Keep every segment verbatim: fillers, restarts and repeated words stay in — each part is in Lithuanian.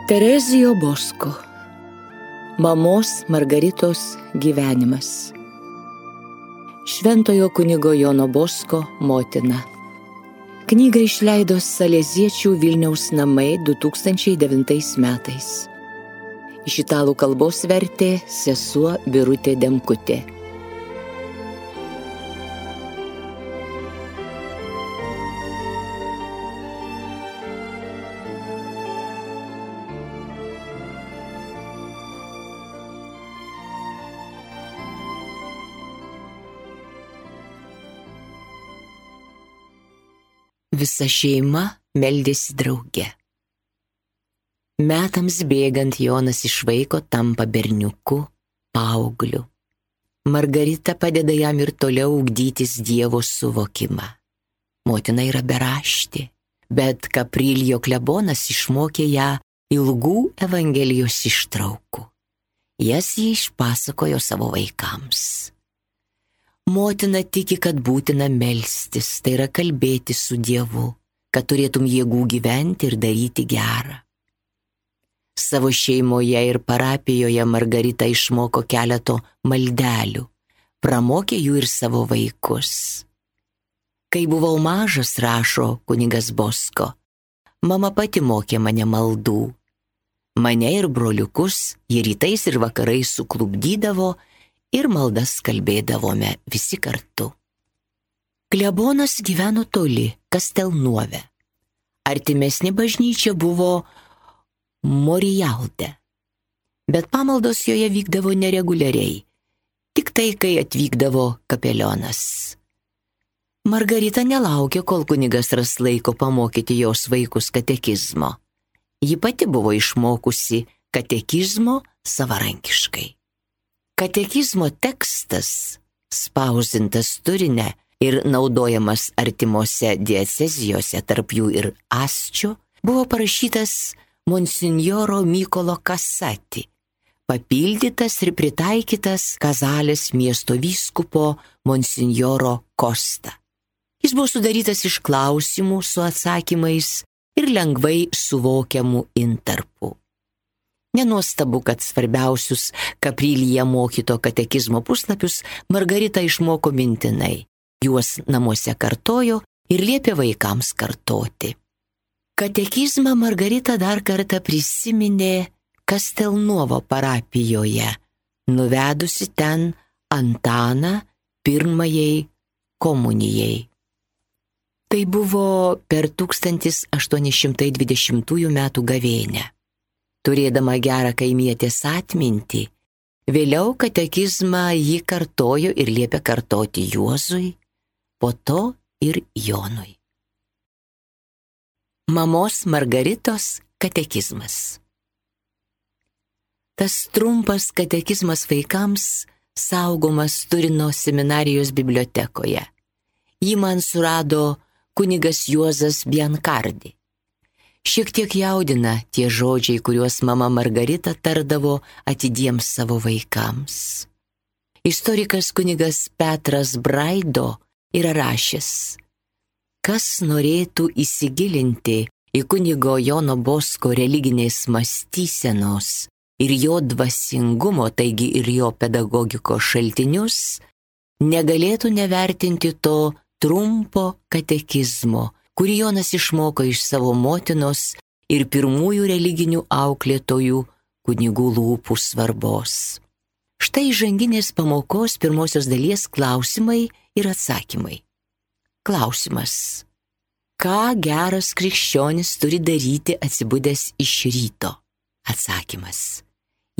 Terezijo Bosko. Mamos Margaritos gyvenimas. Šventojo kunigo Jono Bosko motina. Knygą išleido Saleziečių Vilniaus namai du tūkstančiai devintais metais. Iš italų kalbos vertė sesuo Birutė Demkutė. Visa šeima meldėsi drauge. Metams bėgant Jonas iš vaiko tampa berniuku, paaugliu. Margarita padeda jam ir toliau ugdytis Dievo suvokimą. Motina yra beraštė, bet Kapriljo klebonas išmokė ją ilgų Evangelijos ištraukų. Jas ji išpasakojo savo vaikams. Motina tiki, kad būtina melstis, tai yra kalbėti su Dievu, kad turėtum jėgų gyventi ir daryti gerą. Savo šeimoje ir parapijoje Margarita išmoko keleto maldelių, pramokė jų ir savo vaikus. Kai buvau mažas, rašo kunigas Bosko, mama pati mokė mane maldų. Mane ir broliukus ji rytais ir vakarais suklubdydavo ir maldas kalbėdavome visi kartu. Klebonas gyveno toli, Kastelnuove. Artimesnė bažnyčia buvo Morijalde, bet pamaldos joje vykdavo nereguliariai, tik tai, kai atvykdavo kapelionas. Margarita nelaukė, kol kunigas ras laiko pamokyti jos vaikus katekizmo. Ji pati buvo išmokusi katekizmo savarankiškai. Katekizmo tekstas, spausdintas Turine ir naudojamas artimose diecezijose, tarp jų ir Asčio, buvo parašytas monsinjoro Mykolo Kasati, papildytas ir pritaikytas Kazalės miesto vyskupo monsinjoro Kosta. Jis buvo sudarytas iš klausimų su atsakymais ir lengvai suvokiamų intarpų. Nenuostabu, kad svarbiausius Kaprilyje mokyto katekizmo puslapius Margarita išmoko mintinai. Juos namuose kartojo ir liepė vaikams kartoti. Katekizmą Margarita dar kartą prisiminė Kastelnuovo parapijoje, nuvedusi ten Antaną pirmajai komunijai. Tai buvo per tūkstantis aštuoni šimtai dvidešimtųjų metų gavėnią. Turėdama gerą kaimietės atmintį, vėliau katekizmą ji kartojo ir liepė kartoti Juozui, po to ir Jonui. Mamos Margaritos katekizmas. Tas trumpas katekizmas vaikams saugomas Turino seminarijos bibliotekoje. Jį man surado kunigas Juozas Biancardi. Šiek tiek jaudina tie žodžiai, kuriuos mama Margarita tardavo atidiems savo vaikams. Istorikas kunigas Petras Braido yra rašęs: kas norėtų įsigilinti į kunigo Jono Bosko religinės mąstysenos ir jo dvasingumo, taigi ir jo pedagogikos šaltinius, negalėtų nevertinti to trumpo katekizmo, kurį Jonas išmoko iš savo motinos ir pirmųjų religinių auklėtojų kunigų lūpų svarbos. Štai įžanginės pamokos pirmosios dalies klausimai ir atsakymai. Klausimas: ką geras krikščionis turi daryti atsibudęs iš ryto? Atsakymas: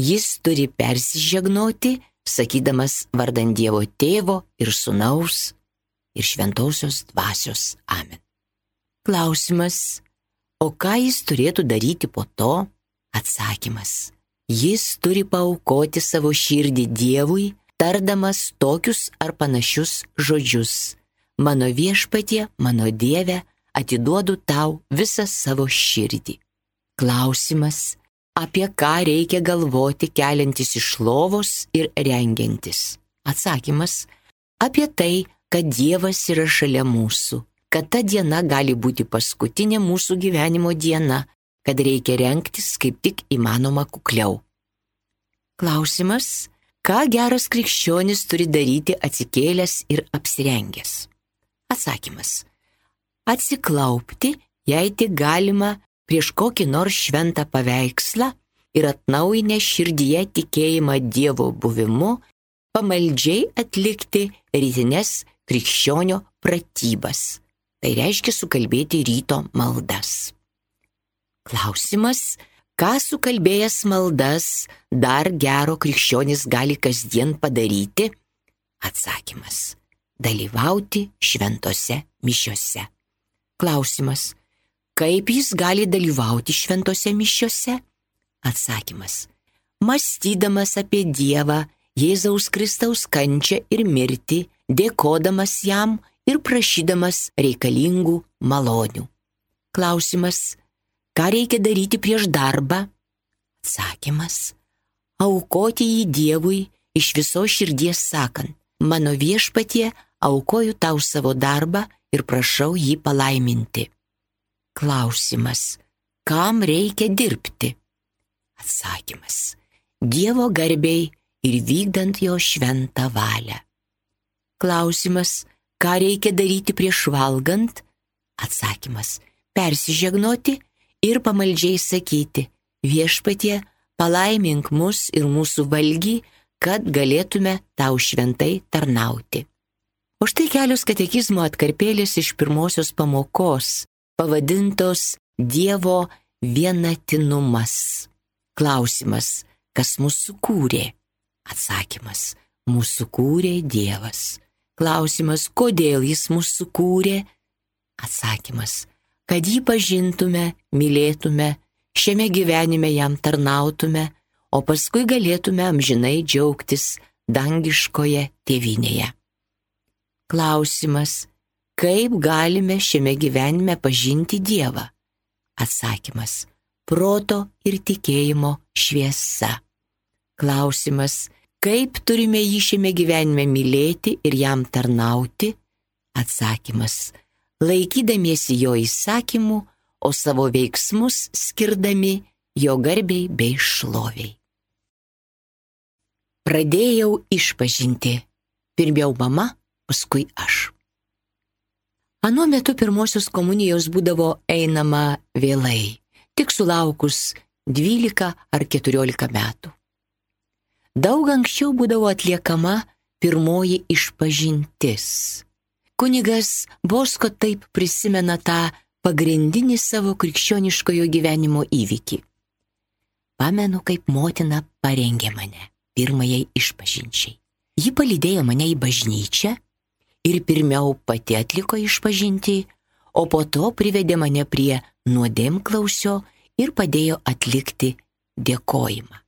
jis turi persižegnoti, sakydamas vardan Dievo Tėvo ir Sūnaus ir Šventosios Dvasios. Amen. Klausimas: o ką jis turėtų daryti po to? Atsakymas: jis turi paaukoti savo širdį Dievui, tardamas tokius ar panašius žodžius: mano viešpatie, mano Dieve, atiduodu tau visą savo širdį. Klausimas: apie ką reikia galvoti keliantis iš lovos ir rengiantis? Atsakymas: apie tai, kad Dievas yra šalia mūsų, kad ta diena gali būti paskutinė mūsų gyvenimo diena, kad reikia rengtis kaip tik įmanoma kukliau. Klausimas, ką geras krikščionis turi daryti atsikėlęs ir apsirengęs? Atsakymas, atsiklaupti, jei tik galima, prieš kokį nors šventą paveikslą ir atnaujinę širdyje tikėjimą Dievo buvimu, pamaldžiai atlikti rytinės krikščionio pratybas. Tai reiškia sukalbėti ryto maldas. Klausimas, ką sukalbėjęs maldas dar gero krikščionis gali kasdien padaryti? Atsakymas, dalyvauti šventose mišiose. Klausimas, kaip jis gali dalyvauti šventose mišiose? Atsakymas, mąstydamas apie Dievą, Jėzaus Kristaus kančią ir mirtį, dėkodamas jam ir prašydamas reikalingų malonių. Klausimas, ką reikia daryti prieš darbą? Atsakymas, aukoti jį Dievui iš visos širdies sakant, mano viešpatie, aukoju tau savo darbą ir prašau jį palaiminti. Klausimas, kam reikia dirbti? Atsakymas, Dievo garbei ir vykdant jo šventą valią. Klausimas, ką reikia daryti prieš valgant? Atsakymas, persižegnoti ir pamaldžiai sakyti, viešpatie, palaimink mus ir mūsų valgį, kad galėtume tau šventai tarnauti. O štai kelios katekizmo atkarpėlės iš pirmosios pamokos, pavadintos Dievo vienatinumas. Klausimas, kas mūsų kūrė? Atsakymas, mūsų kūrė Dievas. Klausimas, kodėl jis mūsų kūrė? Atsakymas, kad jį pažintume, mylėtume, šiame gyvenime jam tarnautume, o paskui galėtume amžinai džiaugtis dangiškoje tėvynėje. Klausimas, kaip galime šiame gyvenime pažinti Dievą? Atsakymas, proto ir tikėjimo šviesa. Klausimas, kaip turime jį šiame gyvenime mylėti ir jam tarnauti? Atsakymas, laikydamiesi jo įsakymų, o savo veiksmus skirdami jo garbei bei šloviai. Pradėjau išpažinti. Pirmiau mama, paskui aš. Anuo metu pirmosios komunijos būdavo einama vėlai, tik sulaukus dvylika ar keturiolika metų. Daug anksčiau būdavo atliekama pirmoji išpažintis. Kunigas Bosko taip prisimena tą pagrindinį savo krikščioniškojo gyvenimo įvykį. Pamenu, kaip motina parengė mane pirmajai išpažinčiai. Ji palydėjo mane į bažnyčią ir pirmiau pati atliko išpažintį, o po to privedė mane prie nuodėmklausio ir padėjo atlikti dėkojimą.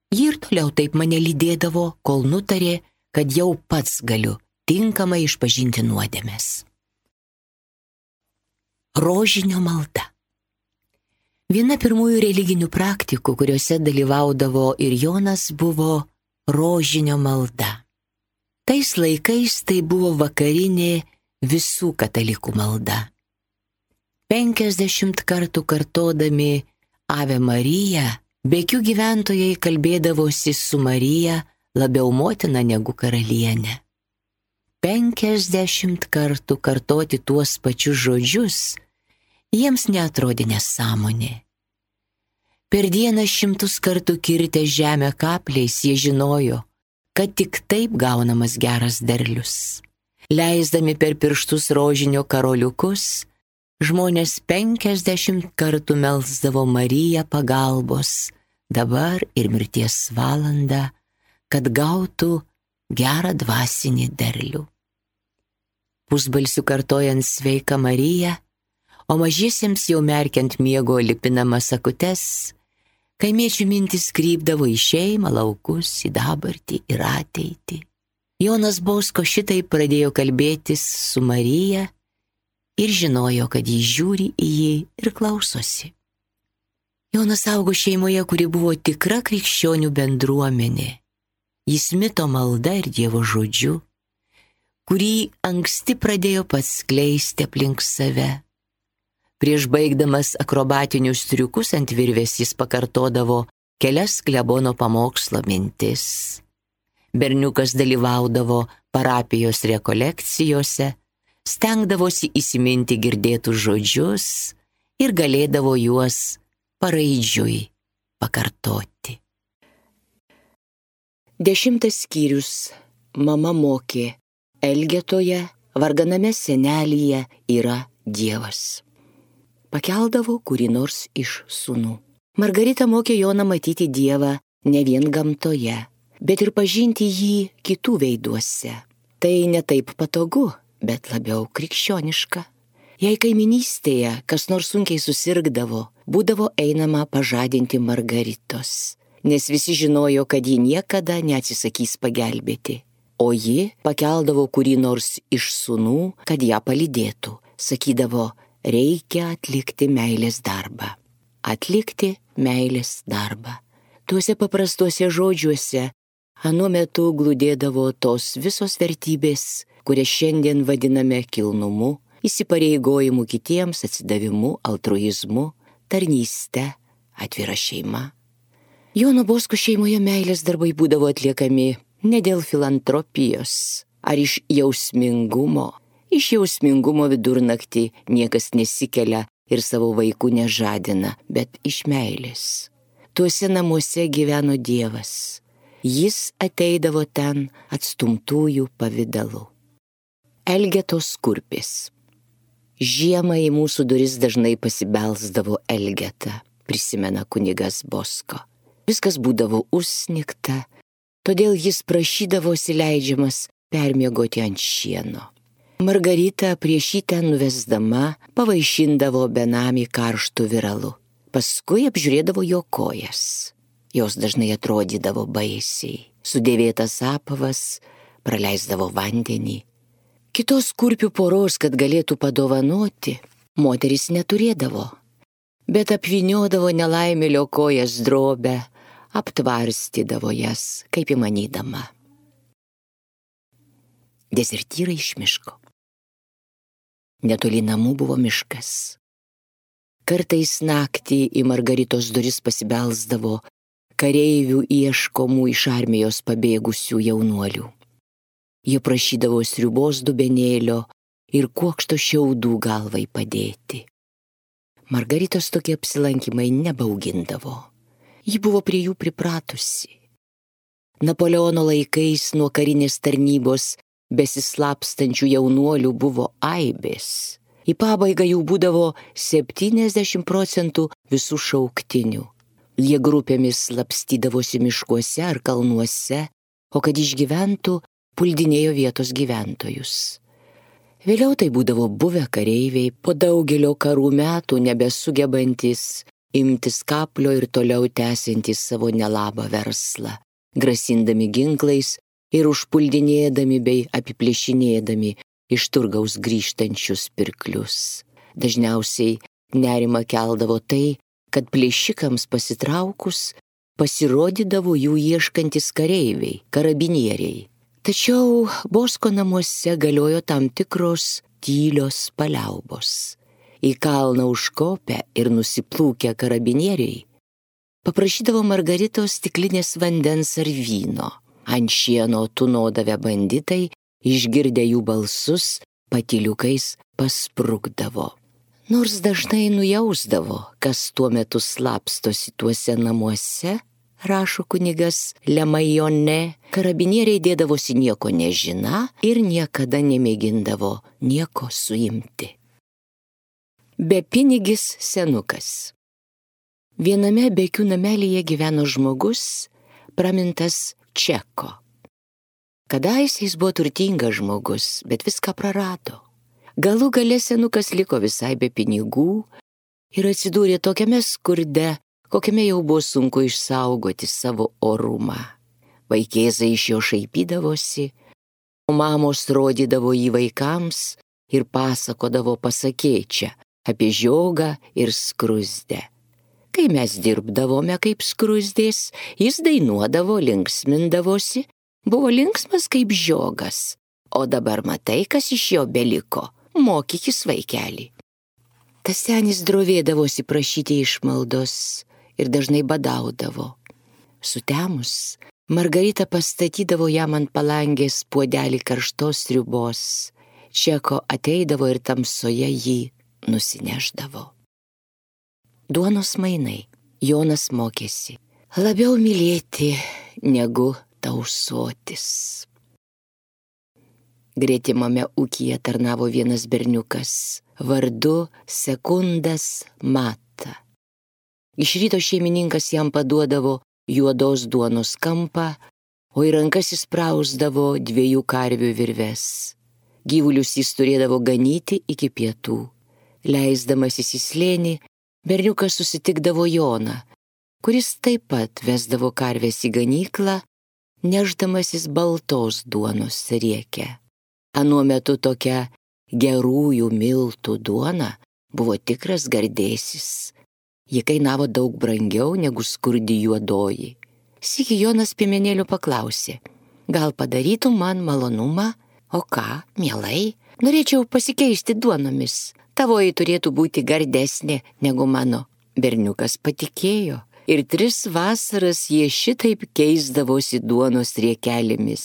Ji ir toliau taip mane lydėdavo, kol nutarė, kad jau pats galiu tinkamai išpažinti nuodėmes. Rožinio malda. Viena pirmųjų religinių praktikų, kuriuose dalyvaudavo ir Jonas, buvo rožinio malda. Tais laikais tai buvo vakarinė visų katalikų malda. Penkiasdešimt kartų kartodami Ave Marija, Bekių gyventojai kalbėdavosi su Marija labiau motina negu karalienė. Penkiasdešimt kartų kartoti tuos pačius žodžius jiems neatrodė nesąmonė. Per dieną šimtus kartų kirtę žemę kapliais jie žinojo, kad tik taip gaunamas geras derlius. Leisdami per pirštus rožinio karoliukus, žmonės penkiasdešimt kartų melsdavo Mariją pagalbos, dabar ir mirties valandą, kad gautų gerą dvasinį derlių. Pusbalsiu kartojant sveiką Mariją, o mažiesiems jau merkiant miego lipinamas akutes, kaimiečių mintis krypdavo į šeimą, laukus, į dabartį ir ateitį. Jonas Bosko šitai pradėjo kalbėtis su Marija ir žinojo, kad jis žiūri į jį ir klausosi. Jonas augo šeimoje, kuri buvo tikra krikščionių bendruomenė. Jis mito malda ir Dievo žodžiu. kurį anksti pradėjo pats skleisti aplink save. Prieš baigdamas akrobatinius triukus ant virvės jis pakartodavo kelias klebono pamokslo mintis. Berniukas dalyvaudavo parapijos rekolekcijose, stengdavosi įsiminti girdėtus žodžius ir galėdavo juos paraidžiui pakartoti. Dešimtas skyrius. Mama mokė, Elgetoje, varganame senelyje yra Dievas. Pakeldavo kurį nors iš sūnų. Margarita mokė Joną matyti Dievą ne vien gamtoje, bet ir pažinti jį kitų veiduose. Tai ne taip patogu, bet labiau krikščioniška. Jei kaiminystėje kas nors sunkiai susirgdavo, būdavo einama pažadinti Margaritos, nes visi žinojo, kad ji niekada neatsisakys pagelbėti. O ji pakeldavo kurį nors iš sūnų, kad ją palydėtų. Sakydavo, reikia atlikti meilės darbą. Atlikti meilės darbą. Tuose paprastuose žodžiuose anuo metu glūdėdavo tos visos vertybės, kurias šiandien vadiname kilnumu, įsipareigojimu kitiems, atsidavimu, altruizmu, tarnyste, atvira šeima. Jono Bosko šeimoje meilės darbai būdavo atliekami ne dėl filantropijos ar iš jausmingumo. Iš jausmingumo vidurnaktį niekas nesikelia ir savo vaikų nežadina, bet iš meilės. Tuose namuose gyveno Dievas. Jis ateidavo ten atstumtųjų pavidalu. Elgetos kurpės. Žiemą į mūsų duris dažnai pasibelsdavo Elgeta, prisimena kunigas Bosko. Viskas būdavo užsnigta, todėl jis prašydavosi leidžiamas permiegoti ant šieno. Margarita prieš jį ten nuvesdama pavaišindavo benamį karštų viralu. Paskui apžiūrėdavo jo kojas. Jos dažnai atrodydavo baisiai. Sudėvėtas apavas, praleisdavo vandenį. Kitos kurpių poros, kad galėtų padovanoti, moteris neturėdavo, bet apvyniodavo nelaimėlio kojas drobę, aptvarstydavo jas, kaip įmanydama. Dezertyrai iš miško. Netoli namų buvo miškas. Kartais naktį į Margaritos duris pasibelsdavo kareivių ieškomų iš armijos pabėgusių jaunuolių. Jie prašydavo sriubos dubenėlio ir kuokšto šiaudų galvai padėti. Margaritos tokie apsilankymai nebaugindavo. Ji buvo prie jų pripratusi. Napoleono laikais nuo karinės tarnybos besislapstančių jaunuolių buvo aibės. Į pabaigą jų būdavo septyniasdešimt procentų visų šauktinių. Jie grupėmis slapstydavosi miškuose ar kalnuose, o kad išgyventų, puldinėjo vietos gyventojus. Vėliau tai būdavo buvę kareiviai, po daugelio karų metų nebesugebantis imtis kaplio ir toliau tęsiantys savo nelabą verslą, grasindami ginklais ir užpuldinėdami bei apiplėšinėdami iš turgaus grįžtančius pirklius. Dažniausiai nerimą keldavo tai, kad plėšikams pasitraukus pasirodydavo jų ieškantis kareiviai, karabinieriai. Tačiau Bosko namuose galiojo tam tikros tylios paliaubos. Į kalną užkopę ir nusiplūkę karabinieriai paprašydavo Margaritos stiklinės vandens ar vyno. Ant šieno tūnodavę banditai, išgirdę jų balsus, patyliukais pasprukdavo. Nors dažnai nujausdavo, kas tuo metu slapstosi tuose namuose, rašo kunigas Lemajone, karabinieriai dėdavosi nieko nežina ir niekada nemėgindavo nieko suimti. Bepinigis senukas. Viename bekių namelyje gyveno žmogus, pramintas Čeko. Kadaise jis buvo turtingas žmogus, bet viską prarado. Galų gale senukas liko visai be pinigų ir atsidūrė tokiame skurde, kokiame jau buvo sunku išsaugoti savo orumą. Vaikėzai iš jo šaipydavosi, o mamos rodydavo jį vaikams ir pasakodavo pasakėčią apie žiogą ir skruzdę. Kai mes dirbdavome kaip skruzdės, jis dainuodavo, linksmindavosi, buvo linksmas kaip žiogas, O dabar matai, kas iš jo beliko, mokykis vaikelį. Tas senis drovėdavosi prašyti išmaldos ir dažnai badaudavo. Sutemus, Margarita pastatydavo jam ant palangės puodelį karštos sriubos. Čeko ateidavo ir tamsoje jį nusineždavo. Duonos mainai. Jonas mokėsi labiau mylėti negu tausotis. Gretimame ūkyje tarnavo vienas berniukas vardu Sekundas Mata. Iš ryto šeimininkas jam paduodavo juodos duonos kampą, o į rankas įsprausdavo dviejų karvių virves. Gyvulius jis turėdavo ganyti iki pietų. Leisdamasis į slėnį, berniukas susitikdavo Joną, kuris taip pat vesdavo karves į ganyklą, neždamasis baltos duonos riekę. Anuo metu tokia gerųjų miltų duona buvo tikras gardėsis. Ji kainavo daug brangiau negu skurdi juodoji. Sykį Jonas piemenėlių paklausė, gal padarytum man malonumą? O ką, mielai, norėčiau pasikeisti duonomis. Tavoji turėtų būti gardesnė negu mano. Berniukas patikėjo ir tris vasaras jie šitaip keisdavosi duonos riekelėmis.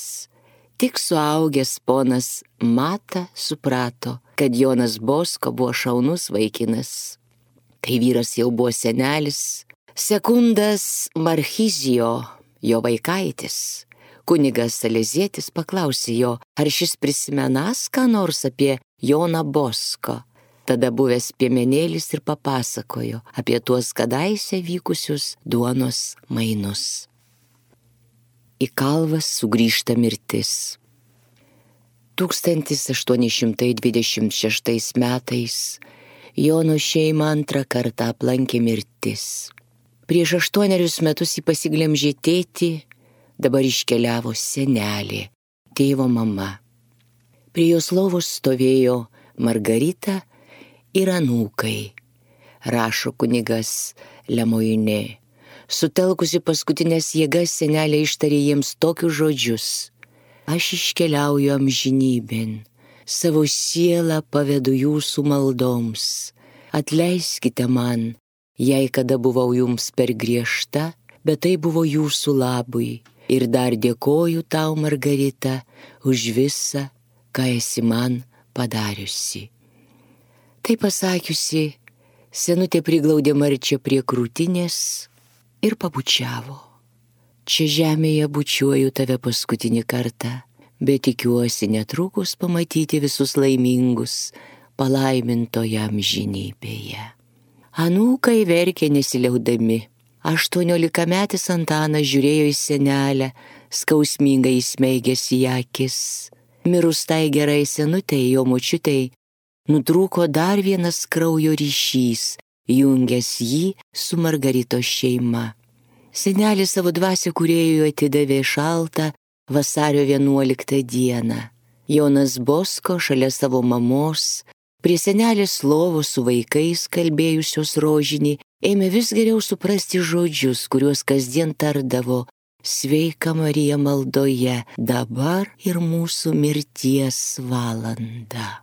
Tik suaugęs ponas Mata suprato, kad Jonas Bosko buvo šaunus vaikinas. Kai vyras jau buvo senelis, Sekundas Marchizijo, jo vaikaitis, kunigas Salezietis paklausė jo, ar šis prisimenas ką nors apie Joną Bosko. Tada buvęs piemenėlis ir papasakojo apie tuos kadaise vykusius duonos mainus. Į kalvas sugrįžta mirtis. tūkstantis aštuoni šimtai dvidešimt šeštais metais Jono šeimą antrą kartą aplankė mirtis. Prieš aštuonerius metus jį pasiglemžė tėtį, dabar iškeliavo senelė, tėvo mama. Prie jos lovos stovėjo Margarita ir anūkai, rašo kunigas Lemoine. Sutelkusi paskutinės jėgas, senelė ištarė jiems tokius žodžius: aš iškeliauju amžinybėn, savo sielą pavedu jūsų maldoms. Atleiskite man, jei kada buvau jums per griežta, bet tai buvo jūsų labui. Ir dar dėkoju tau, Margarita, už visą, ką esi man padariusi. Tai pasakiusi, senutė priglaudė Marčią prie krūtinės ir pabučiavo. Čia žemėje bučiuoju tave paskutinį kartą, bet tikiuosi netrukus pamatyti visus laimingus palaimintoje amžinybėje. Anūkai verkė nesiliaudami. Aštuoniolikametis Antanas žiūrėjo į senelę, skausmingai įsmeigęs į akis. Mirus tai gerai senutei, jo močiutei, nutrūko dar vienas kraujo ryšys, jungęs jį su Margaritos šeima. Senelis savo dvasią kūrėjui atidavė šaltą vasario vienuoliktą dieną. Jonas Bosko šalia savo mamos, prie senelės lovos su vaikais kalbėjusios rožinį, ėmė vis geriau suprasti žodžius, kuriuos kasdien tardavo: sveika Marija maldoje, dabar ir mūsų mirties valanda.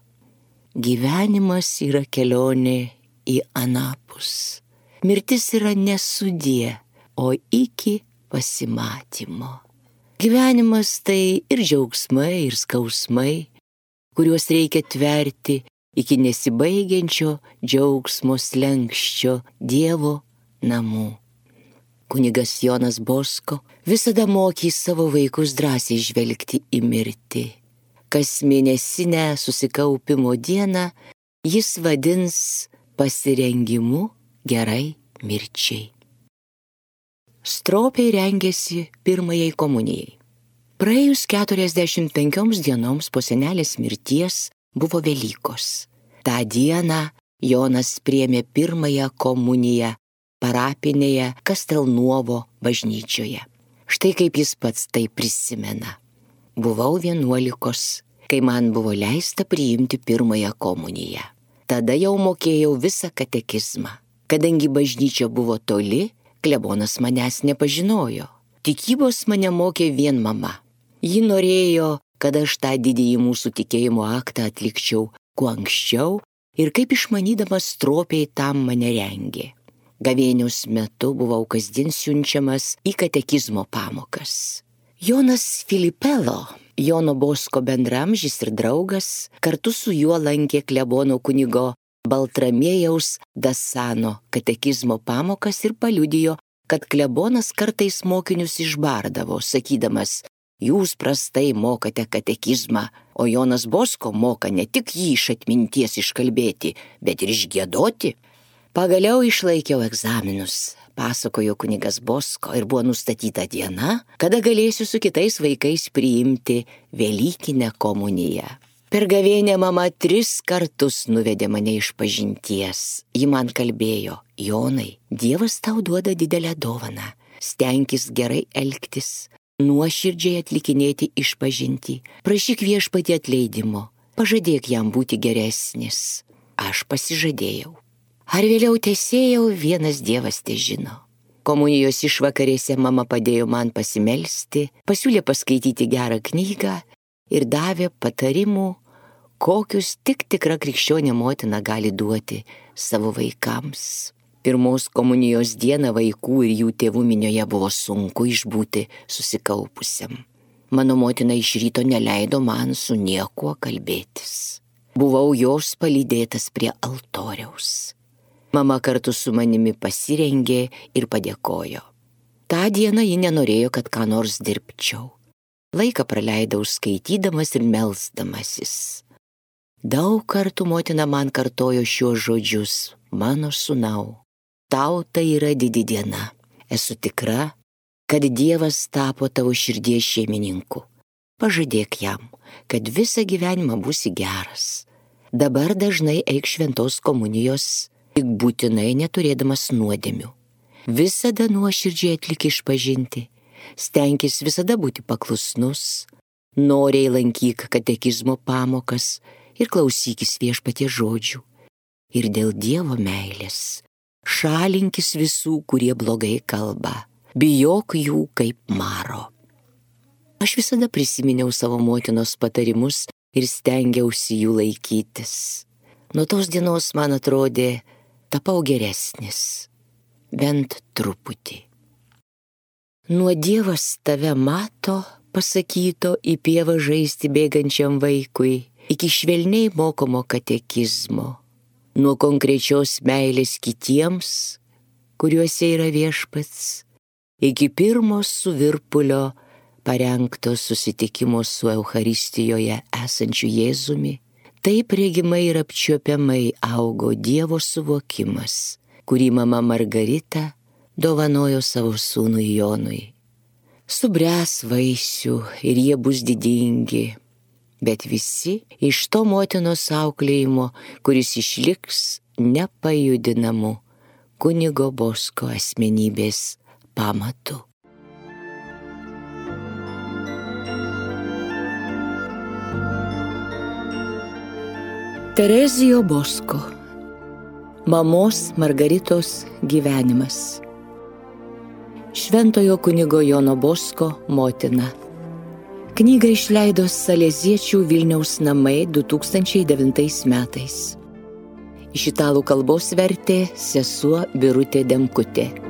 Gyvenimas yra kelionė į anapus. Mirtis yra ne sudie, o iki pasimatymo. Gyvenimas tai ir džiaugsmai, ir skausmai, kuriuos reikia tverti iki nesibaigiančio džiaugsmo slenksčio Dievo namų. Kunigas Jonas Bosko visada mokė savo vaikus drąsiai žvelgti į mirtį. Kas mėnesinę susikaupimo dieną jis vadins pasirengimu gerai mirčiai. Stropiai rengėsi pirmajai komunijai. Praėjus keturiasdešimt penkioms dienoms po senelės mirties buvo Velykos. Ta dieną Jonas priėmė pirmąją komuniją parapinėje Kastelnuovo bažnyčioje. Štai kaip jis pats tai prisimena. Buvau vienuolikos, kai man buvo leista priimti pirmąją komuniją. Tada jau mokėjau visą katekizmą. Kadangi bažnyčia buvo toli, klebonas manęs nepažinojo. Tikybos mane mokė vien mama. Ji norėjo, kad aš tą didįjį mūsų tikėjimo aktą atlikčiau kuo anksčiau ir kaip išmanydamas stropiai tam mane rengė. Gavėnios metu buvau kasdien siunčiamas į katekizmo pamokas. Jonas Filipelo, Jono Bosko bendramžis ir draugas, kartu su juo lankė klebono kunigo Baltramiejaus Dasano katekizmo pamokas ir paliudijo, kad klebonas kartais mokinius išbardavo, sakydamas: jūs prastai mokate katekizmą, o Jonas Bosko moka ne tik jį iš atminties iškalbėti, bet ir išgiedoti. Pagaliau išlaikiau egzaminus, pasakojo kunigas Bosko, ir buvo nustatyta diena, kada galėsiu su kitais vaikais priimti Velykinę komuniją. Per gavėnią mama tris kartus nuvedė mane iš pažinties. Ji man kalbėjo: Jonai, Dievas tau duoda didelę dovaną, stenkis gerai elgtis, nuoširdžiai atlikinėti išpažintį, prašyk Viešpatį atleidimo, pažadėk jam būti geresnis. Aš pasižadėjau. Ar vėliau tesėjau, vienas Dievas težino. Komunijos išvakarėse mama padėjo man pasimelsti, pasiūlė paskaityti gerą knygą ir davė patarimų, kokius tik tikra krikščionė motina gali duoti savo vaikams. Pirmos komunijos dieną vaikų ir jų tėvų minioje buvo sunku išbūti susikaupusiam. Mano motina iš ryto neleido man su niekuo kalbėtis. Buvau jos palydėtas prie altoriaus. Mama kartu su manimi pasirengė ir padėkojo. Ta diena ji nenorėjo, kad ką nors dirbčiau. Laiką praleidau skaitydamas ir melsdamasis. Daug kartų motina man kartojo šiuos žodžius: mano sūnau, tau tai yra didi diena. Esu tikra, kad Dievas tapo tavo širdies šeimininku. Pažadėk jam, kad visą gyvenimą būsi geras. Dabar dažnai eik šventos komunijos, tik būtinai neturėdamas nuodėmių. Visada nuoširdžiai atlik išpažinti, stenkis visada būti paklusnus, noriai lankyk katekizmo pamokas ir klausykis Viešpaties žodžių. Ir dėl Dievo meilės šalinkis visų, kurie blogai kalba, bijok jų kaip maro. Aš visada prisiminiau savo motinos patarimus ir stengiausi jų laikytis. Nuo tos dienos man atrodė, tapau geresnis, bent truputį. Nuo Dievas tave mato, pasakyto į pievą žaisti bėgančiam vaikui, iki švelniai mokomo katekizmo, nuo konkrečios meilės kitiems, kuriuose yra Viešpats, iki pirmo suvirpulio parengto susitikimo su Eucharistijoje esančiu Jėzumi. Taip regimai ir apčiuopiamai augo Dievo suvokimas, kurį mama Margarita dovanojo savo sūnui Jonui. Subręs vaisių ir jie bus didingi, bet visi iš to motinos auklėjimo, kuris išliks nepajudinamu kunigo Bosko asmenybės pamatu. Terezijo Bosko, mamos Margaritos gyvenimas. Šventojo kunigo Jono Bosko motina. Knygą išleido Saleziečių Vilniaus namai du tūkstančiai devintais metais. Iš italų kalbos vertė sesuo Birutė Demkutė.